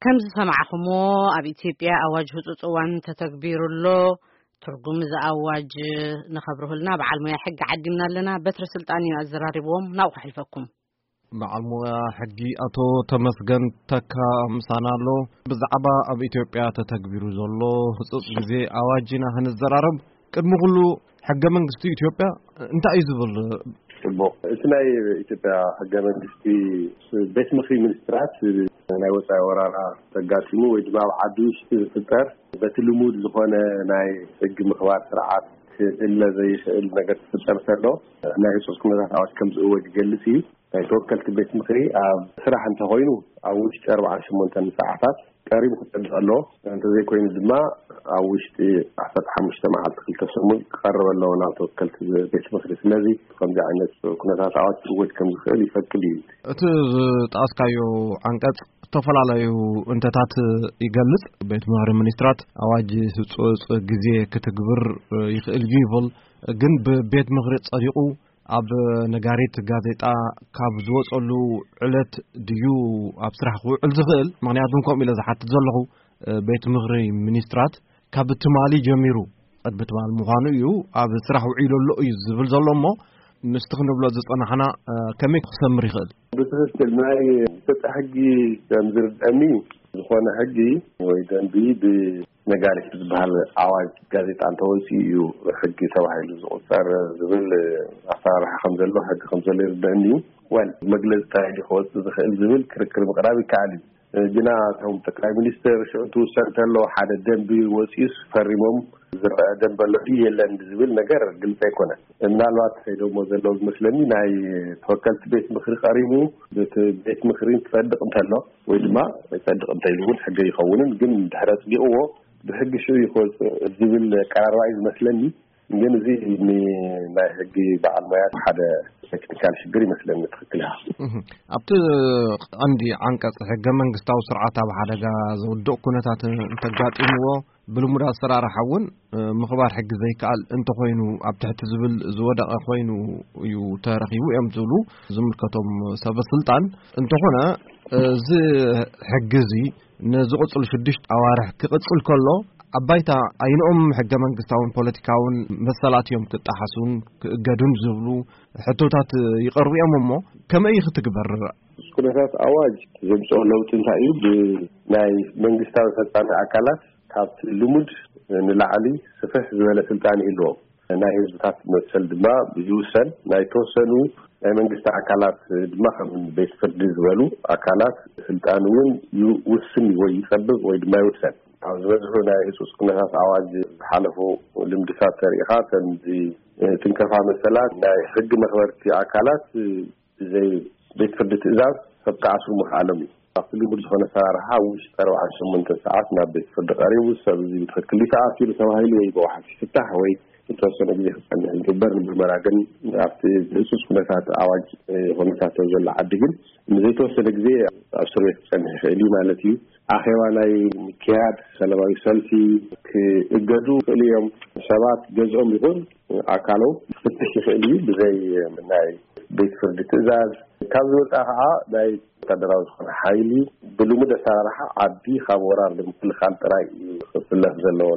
ከም ዝሰማዕኹምዎ፣ ኣብ ኢትዮጵያ ኣዋጅ ህጹጽ እዋን ተተግቢሩ ኣሎ። ትርጉም እዚ ኣዋጅ ንኸብርሁልና በዓል ሞያ ሕጊ ዓዲምና ኣለና። በትረ ስልጣን እዩ ኣዘራሪብዎም። ናብኡ ከሕልፈኩም። በዓል ሞያ ሕጊ ኣቶ ተመስገን ተካ ምሳና ኣሎ። ብዛዕባ ኣብ ኢትዮጵያ ተተግቢሩ ዘሎ ህጹጽ ግዜ ኣዋጅ ኢና ክንዘራረብ። ቅድሚ ኩሉ፣ ሕገ መንግስቲ ኢትዮጵያ እንታይ እዩ ዝብል? ጽቡቕ። እቲ ናይ ኢትዮጵያ ሕገ መንግስቲ፣ ቤት ምኽሪ ሚኒስትራት ናይ ወጻኢ ወራራ ተጋጢሙ ወይ ድማ ኣብ ዓዲ ውሽጢ ዝፍጠር፣ በቲ ልሙድ ዝኾነ ናይ ሕጊ ምኽባር ስርዓት ክእለ ዘይኽእል ነገር ክፍጠር ከሎ፣ ናይ ህጹጽ ኩነታት ኣዋጅ ከም ዝእወጅ ይገልጽ እዩ። ናይ ተወከልቲ ቤት ምኽሪ ኣብ ስራሕ እንተኾይኑ፣ ኣብ ውሽጢ ኣርባዓን ሸሞንተን ሰዓታት ቀሪቡ ክጸድቕ ኣለዎ። እንተዘይኮይኑ ድማ፣ ኣብ ውሽጢ ዓሰርተ ሓሙሽተ መዓልቲ፣ ክልተ ሰሙን ክቐርብ ኣለዎ ናብ ተወከልቲ ቤት ምኽሪ። ስለዚ፣ ከምዚ ዓይነት ኩነታት ኣዋጅ ክእወጅ ከም ዝኽእል ይፈቅድ እዩ። እቲ ዝጠቐስካዮ ዓንቀጽ፣ ዝተፈላለዩ እንተታት ይገልጽ። ቤት ምኽሪ ሚኒስትራት ኣዋጅ ህጹጽ ግዜ ክትግብር ይኽእል እዩ ይብል። ግን ብቤት ምኽሪ ጸዲቑ፣ ኣብ ነጋሪት ጋዜጣ ካብ ዝወጸሉ ዕለት ድዩ ኣብ ስራሕ ክውዕል ዝኽእል? ምኽንያቱም ከምኡ ኢለ ዝሓትት ዘለኹ፣ እ፣ ቤት ምኽሪ ሚኒስትራት ካብ ትማሊ ጀሚሩ፣ ቅድሚ ትማሊ ምዃኑ እዩ፣ ኣብ ስራሕ ውዒሉ ኣሎ እዩ ዝብል ዘሎ። እሞ ምስቲ ክንብሎ ዝጸናሕና፣ እ፣ ከመይ ክሰምር ይኽእል? ብትኽክል፣ ናይ ኢትዮጵያ ሕጊ ከም ዝርድአኒ፣ ዝኾነ ሕጊ ወይ ደንቢ ብ ነጋሪት ዝበሃል ኣዋጅ ጋዜጣ እንተወፂኡ እዩ ሕጊ ተባሂሉ ዝቑፀር ዝብል ኣሰራርሓ ከም ዘሎ፣ ሕጊ ከም ዘሎ ይርደአኒ እዩ። ወል መግለፂ ጥራይ ድዩ ክወፅእ ዝኽእል ዝብል ክርክር ምቕራብ ይከኣል እዩ። ግና እቶም ጠቅላይ ሚኒስትር ሽዑ ትውሰን እንተሎ ሓደ ደንቢ ወፂኡስ ፈሪሞም ዝረአ ደንቢ ኣሎ ድዩ የለን ዝብል ነገር ግልፂ ኣይኮነን። ምናልባት ከይደሞ ዘለዉ ዝመስለኒ ናይ ተወከልቲ ቤት ምኽሪ ቀሪቡ፣ ቤት ምኽሪ ክፀድቕ እንተሎ ወይ ድማ ኣይፀድቕ እንተኢሉ እውን ሕገ ይኸውንን፣ ግን ድሕሪ ኣፅዲቕዎ ብሕጊ ሽዑ ይኸውፅእ ዝብል ኣቀራርባ እዩ ዝመስለኒ። ግን እዚ ን-፣ ናይ ሕጊ በዓል ሞያ ሓደ ቴክኒካል ሽግር ይመስለኒ። ትኽክል ኢኻ። እህ፣ ኣብቲ ቀንዲ ዓንቀጽ ሕገ መንግስታዊ ስርዓት ኣብ ሓደጋ ዘውድቕ ኩነታት እንተጋጢምዎ፣ ብልሙድ ኣሰራርሓ እውን፣ እ፣ ምኽባር ሕጊ ዘይከኣል እንተኾይኑ፣ ኣብ ትሕቲ ዝብል ዝወደቐ ኮይኑ እዩ ተረኺቡ እዮም ዝብሉ ዝምልከቶም ሰበ ስልጣን። እንተኾነ፣ እዚ ሕጊ እዚ ንዝቕጽሉ ሽዱሽተ ኣዋርሕ ክቕጽል ከሎ፣ ኣብ ባይታ ኣይንኦም ሕገ መንግስታውን ፖለቲካውን መሰላት እዮም ክጠሓሱን ክእገዱን ዝብሉ ሕቶታት ይቐርቡ እዮም። እሞ ከመይ እዩ ክትግበር? ኩነታት ኣዋጅ ዘምፅኦ ለውጢ እንታይ እዩ? ብናይ መንግስታዊ ፈጻሚ ኣካላት ካብቲ ልሙድ ንላዕሊ ስፍሕ ዝበለ ስልጣን ይህልዎም። ናይ ህዝብታት መሰል ድማ ይውሰን። ናይ ተወሰኑ ናይ መንግስቲ ኣካላት ድማ ከም ቤት ፍርዲ ዝበሉ ኣካላት ስልጣን እውን ይውስን ወይ ይጸብብ ወይ ድማ ይውሰን። ኣብ ዝበዝሑ ናይ ህጹጽ ኩነታት ኣዋጅ ዝሓለፉ ልምድታት ተሪኢኻ፣ ከምዚ ትንከፋ መሰላት ናይ ሕጊ መኽበርቲ ኣካላት ብዘይ ቤት ፍርዲ ትእዛዝ ሰብ ክኣስሩ ምኽኣሎም እዩ። ኣብቲ ልሙድ ዝኾነ ኣሰራርሓ ኣብ ውሽጢ ኣርባዓን ሸሞንተን ሰዓት ናብ ቤት ፍርዲ ቀሪቡ፣ ሰብ እዚ ብትኽክል እዩ ተኣሲሩ ተባሂሉ ወይ ብዋሕስ ይፍታሕ ወይ ዝተወሰነ ግዜ ክጸንሕ ይግበር። ንምርመራ ግን ኣብቲ ህጹጽ ኩነታት ኣዋጅ፣ እ፣ ኩነታት ዘሎ ዓዲ ግን ንዘይተወሰነ ግዜ ኣብ እስር ቤት ክጸንሕ ይኽእል እዩ ማለት እዩ። ኣኼባ ናይ ምክያድ፣ ሰላማዊ ሰልፊ ክእገዱ ይኽእሉ እዮም። ሰባት ገዝኦም ይኹን ኣካሎም ክፍትሽ ይኽእል እዩ ብዘይ ናይ ቤት ፍርዲ ትእዛዝ። ካብ ዝወጻ ከዓ ናይ ወታደራዊ ዝኾነ ሓይሊ ብልሙድ ኣሰራርሓ ዓዲ ካብ ወራር ንምክልኻል ጥራይ እዩ ክስለፍ ዘለዎ።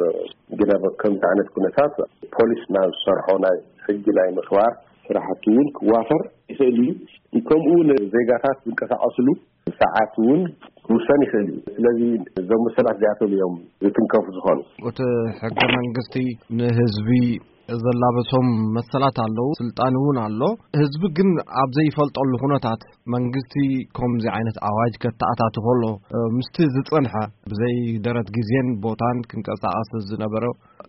ግን ኣብ ከምዚ ዓይነት ኩነታት ፖሊስ ናብ ዝሰርሖ ናይ ሕጊ ናይ ምኽባር ስራሕቲ እውን ክዋፈር ይኽእል እዩ። ከምኡ እውን ዜጋታት ዝንቀሳቐስሉ ሰዓት እውን ክውሰን ይኽእል እዩ። ስለዚ እዞም መሰላት እዚኣቶም እዮም ዝትንከፉ ዝኾኑ። እቲ ሕገ መንግስቲ ንህዝቢ ዘላበሶም መሰላት ኣለዉ፣ ስልጣን እውን ኣሎ። ህዝቢ ግን ኣብ ዘይፈልጠሉ ኩነታት መንግስቲ ከምዚ ዓይነት ኣዋጅ ከተኣታቱ ከሎ፣ እ፣ ምስቲ ዝጸንሐ ብዘይ ደረት ግዜን ቦታን ክንቀሳቐስ ዝነበረ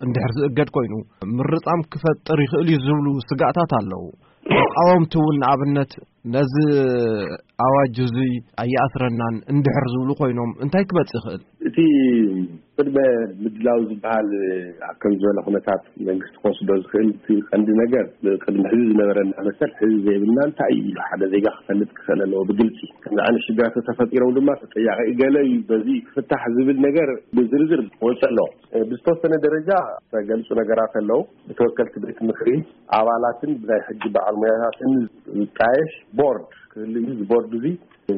እንድሕር ዝእገድ ኮይኑ፣ ምርጻም ክፈጥር ይኽእል እዩ ዝብሉ ስጋእታት ኣለዉ። ተቃወምቲ እውን ንኣብነት ነዚ ኣዋጅ እዚ ኣየኣስረናን እንድሕር ዝብሉ ኮይኖም እንታይ ክመጽእ ይኽእል? እቲ ቅድመ ምድላው ዝበሃል ኣብ ከም ዝበለ ኩነታት መንግስቲ ክወስዶ ዝኽእል እቲ ቀንዲ ነገር ቅድሚ ሕዚ ዝነበረና መሰል ሕዚ ዘይብልና እንታይ እዩ ኢሉ ሓደ ዜጋ ክፈልጥ ክኽእል ኣለዎ ብግልፂ። ከምዚ ዓይነት ሽግራት ተፈጢሮም ድማ ተጠያቂ ገለ እዩ በዚ ክፍታሕ ዝብል ነገር ብዝርዝር ክወፅእ ኣለዎ። ብዝተወሰነ ደረጃ ዝተገልፁ ነገራት ኣለዉ። ብተወከልቲ ቤት ምኽሪ ኣባላትን ብናይ ሕጊ በዓል ሞያታትን ዝጣየሽ ቦርድ ክህሉ እዩ። እዚ ቦርድ እዚ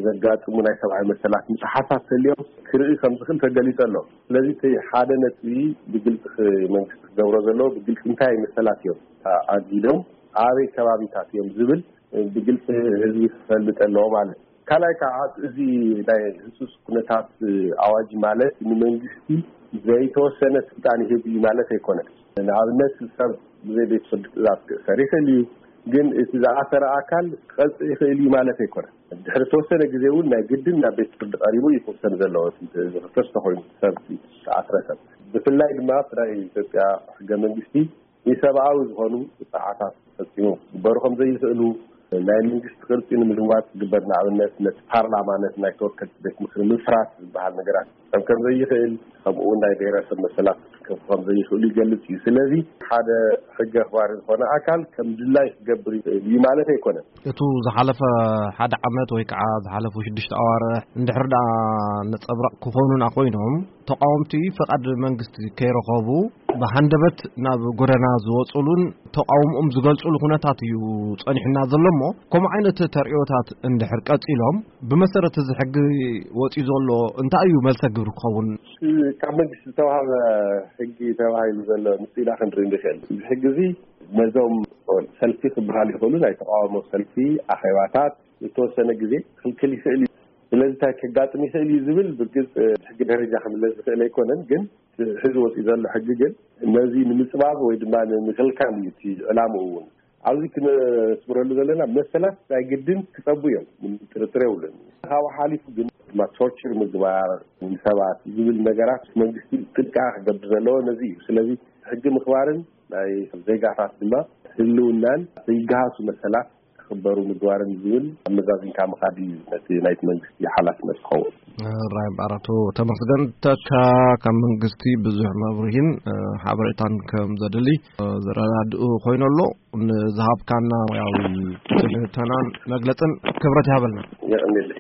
ዘጋጥሙ ናይ ሰብኣዊ መሰላት ምጥሓሳት ተልዮም ክርኢ ከም ዝኽእል ተገሊጸ ኣሎ። ስለዚ እቲ ሓደ ነጥቢ ብግልጺ ክ-፣ መንግስቲ ክገብሮ ዘለዎ ብግልጺ እንታይ መሰላት እዮም ኣጊዶም ኣበይ ከባቢታት እዮም ዝብል ብግልጺ ህዝቢ ክፈልጥ ኣለዎ ማለት እዩ። ካልኣይ ከዓ እዚ ናይ ህጹጽ ኩነታት ኣዋጅ ማለት ንመንግስቲ ዘይተወሰነ ስልጣን ይህብ እዩ ማለት ኣይኮነን። ንኣብነት ሰብ ብዘይ ቤት ፍርዲ ትእዛዝ ክእሰር ይኽእል እዩ፣ ግን እቲ ዝኣሰረ ኣካል ክቐጽእ ይኽእል እዩ ማለት ኣይኮነን። ድሕሪ ተወሰነ ግዜ እውን ናይ ግድን ናብ ቤት ፍርዲ ቀሪቡ እዩ ክውሰን ዘለዎ። እቲ ዝኽሰስ ተኾይኑ ሰብ ዝተኣስረ ሰብ፣ ብፍላይ ድማ ብናይ ኢትዮጵያ ሕገ መንግስቲ ንሰብኣዊ ዝኾኑ ጥፍዓታት ፈጺሞም ክግበሩ ከም ዘይኽእሉ፣ ናይ መንግስቲ ቅርጺ ንምልዋጥ ዝግበር፣ ንኣብነት ነቲ ፓርላማ፣ ነቲ ናይ ተወከልቲ ቤት ምክሪ ምፍራስ ዝበሃል ነገራት ከም ከም ዘይኽእል፣ ከምኡ እውን ናይ ብሔረሰብ መሰላት ክከፉ ከም ዘይኽእሉ ይገልጽ እዩ። ስለዚ ሓደ ሕገ ኣኽባሪ ዝኾነ ኣካል ከም ድላይ ክገብር ይኽእል እዩ ማለት ኣይኮነን። እቱ ዝሓለፈ ሓደ ዓመት ወይ ከዓ ዝሓለፉ ሽዱሽተ ኣዋርሕ እንድሕር ደኣ ነጸብራቕ ክኾኑና ኮይኖም፣ ተቃወምቲ ፍቓድ መንግስቲ ከይረኸቡ ብሃንደበት ናብ ጎደና ዝወጽሉን ተቃውሞኦም ዝገልጽሉ ኩነታት እዩ ጸኒሑና ዘሎ እሞ፣ ከምኡ ዓይነት ተርእዮታት እንድሕር ቀጺሎም፣ ብመሰረት እዚ ሕጊ ወጺኡ ዘሎ እንታይ እዩ መልሰ ግብሪ ክኸውን? ካብ መንግስቲ ዝተዋሃበ ሕጊ ተባሂሉ ዘሎ ምስጢና ክንርኢ ንኽእል። እዚ ሕጊ እዚ ነዞም ሰልፊ ክበሃል ይኽእሉ ናይ ተቃውሞ ሰልፊ ኣኼባታት ዝተወሰነ ግዜ ክልክል ይኽእል እዩ። ስለዚ እንታይ ከጋጥም ይኽእል እዩ ዝብል ብርግጽ ሕጊ ደረጃ ክምለስ ዝኽእል ኣይኮነን። ግን ሕዚ ወፂኡ ዘሎ ሕጊ ግን ነዚ ንምፅባብ ወይ ድማ ንምክልካል እዩ እቲ ዕላምኡ እውን። ኣብዚ ክነስምረሉ ዘለና መሰላት ናይ ግድን ክፀቡ እዮም፣ ምንም ጥርጥር የብሉን። ካብኡ ሓሊፉ ግን ድማ ቶርቸር ምግባር ንሰባት ዝብል ነገራት መንግስቲ ጥንቃ ክገብር ዘለዎ ነዚ እዩ። ስለዚ ሕጊ ምኽባርን ናይ ዜጋታት ድማ ህልውናን ዘይገሃሱ መሰላት ክኽበሩ ምግባርን ዝብል ኣመዛዚንካ ምኻድ እዩ ነቲ ናይቲ መንግስቲ ሓላፍነት ዝኸውን። ራይ ባራቶ ተመስገን ተካ ካብ መንግስቲ ብዙሕ መብርሂን ሓበሬታን ከም ዘድሊ ዘረዳድኡ ኮይኑ ኣሎ። ንዝሃብካና ያው ትንተናን መግለጽን ክብረት ይሃበልና። የቐንየለይ።